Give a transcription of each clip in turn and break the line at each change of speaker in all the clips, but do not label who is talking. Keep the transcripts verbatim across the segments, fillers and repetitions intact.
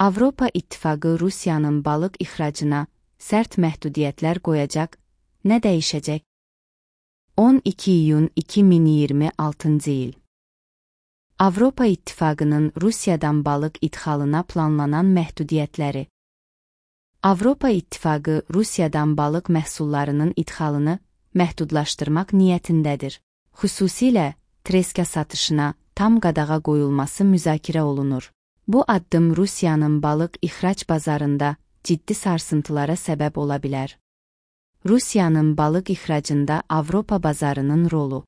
Avropa İttifaqı Rusiyanın balıq ixracına sərt məhdudiyyətlər qoyacaq, nə dəyişəcək? on iki iyun iki min iyirmi altıncı il. Avropa İttifaqının Rusiyadan balıq idxalına planlanan məhdudiyyətləri. Avropa İttifaqı Rusiyadan balıq məhsullarının idxalını məhdudlaşdırmaq niyyətindədir. Xüsusilə treska satışına tam qadağa qoyulması müzakirə olunur. Bu addım Rusiyanın balıq ixrac bazarında ciddi sarsıntılara səbəb ola bilər. Rusiyanın balıq ixracında Avropa bazarının rolu.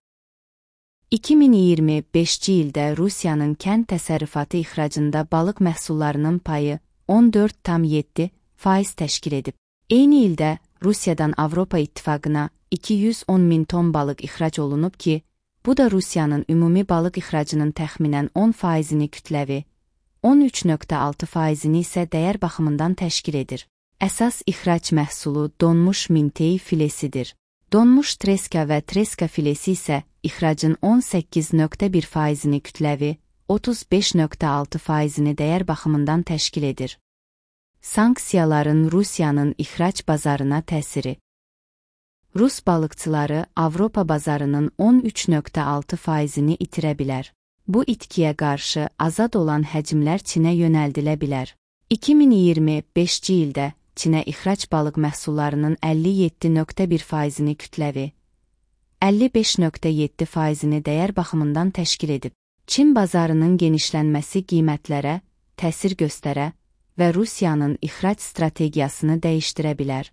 iki min iyirmi beşinci ildə Rusiyanın kənd təsərrüfatı ixracında balıq məhsullarının payı on dörd tam yeddi faiz təşkil edib. Eyni ildə Rusiyadan Avropa İttifaqına iki yüz on min ton balıq ixrac olunub ki, bu da Rusiyanın ümumi balıq ixracının təxminən on faizini kütləvi, on üç nöqtə altı faizini isə dəyər baxımından təşkil edir. Əsas ixrac məhsulu donmuş mintey filesidir. Donmuş treska və treska filesi isə ixracın on səkkiz nöqtə bir faizini kütləvi, otuz beş nöqtə altı faizini dəyər baxımından təşkil edir. Sanksiyaların Rusiyanın ixrac bazarına təsiri. Rus balıqçıları Avropa bazarının on üç nöqtə altı faizini itirə bilər. Bu itkiyə qarşı azad olan həcmlər Çinə yönəldilə bilər. iki min iyirmi beşinci ildə Çinə ixrac balıq məhsullarının əlli yeddi nöqtə bir faizini kütləvi, əlli beş nöqtə yeddi faizini dəyər baxımından təşkil edib. Çin bazarının genişlənməsi qiymətlərə təsir göstərə və Rusiyanın ixrac strategiyasını dəyişdirə bilər.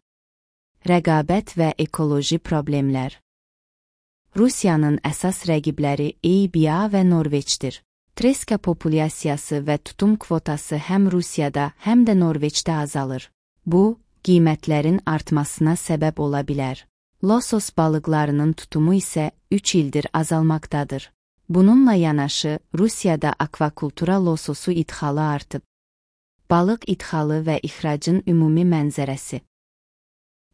Rəqabət və ekoloji problemlər. Rusiyanın əsas rəqibləri E B A və Norveçdir. Treska populyasiyası və tutum kvotası həm Rusiyada, həm də Norveçdə azalır. Bu, qiymətlərin artmasına səbəb ola bilər. Losos balıqlarının tutumu isə üç ildir azalmaqdadır. Bununla yanaşı, Rusiyada akvakultura lososu idxalı artıb. Balıq idxalı və ixracın ümumi mənzərəsi.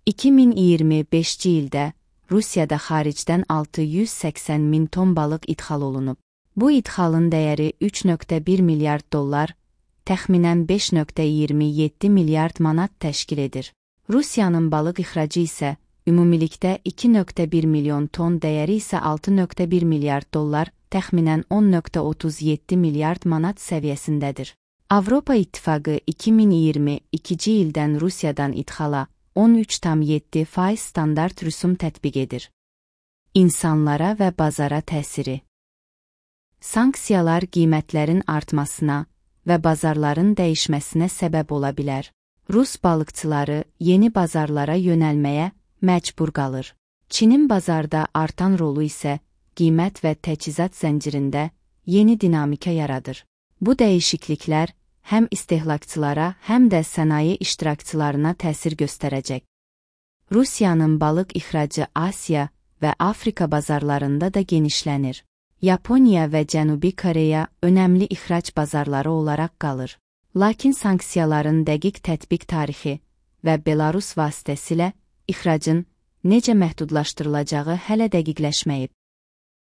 iki min iyirmi beşinci ildə Rusiyada xaricdən altı yüz səksən min ton balıq idxal olunub. Bu idxalın dəyəri üç nöqtə bir milyard dollar, təxminən beş nöqtə iyirmi yeddi milyard manat təşkil edir. Rusiyanın balıq ixracı isə ümumilikdə iki nöqtə bir milyon ton, dəyəri isə altı nöqtə bir milyard dollar, təxminən on nöqtə otuz yeddi milyard manat səviyyəsindədir. Avropa İttifaqı iki min iyirmi ikinci ildən Rusiyadan idxala on üç tam yeddi faiz standart rüsum tətbiq edir. İnsanlara və bazara təsiri. Sanksiyalar qiymətlərin artmasına və bazarların dəyişməsinə səbəb ola bilər. Rus balıqçıları yeni bazarlara yönəlməyə məcbur qalır. Çinin bazarda artan rolu isə qiymət və təchizat zəncirində yeni dinamika yaradır. Bu dəyişikliklər həm istehlakçılara, həm də sənaye iştirakçılarına təsir göstərəcək. Rusiyanın balıq ixracı Asiya və Afrika bazarlarında da genişlənir. Yaponiya və Cənubi Koreya önəmli ixrac bazarları olaraq qalır. Lakin sanksiyaların dəqiq tətbiq tarixi və Belarus vasitəsilə ixracın necə məhdudlaşdırılacağı hələ dəqiqləşməyib.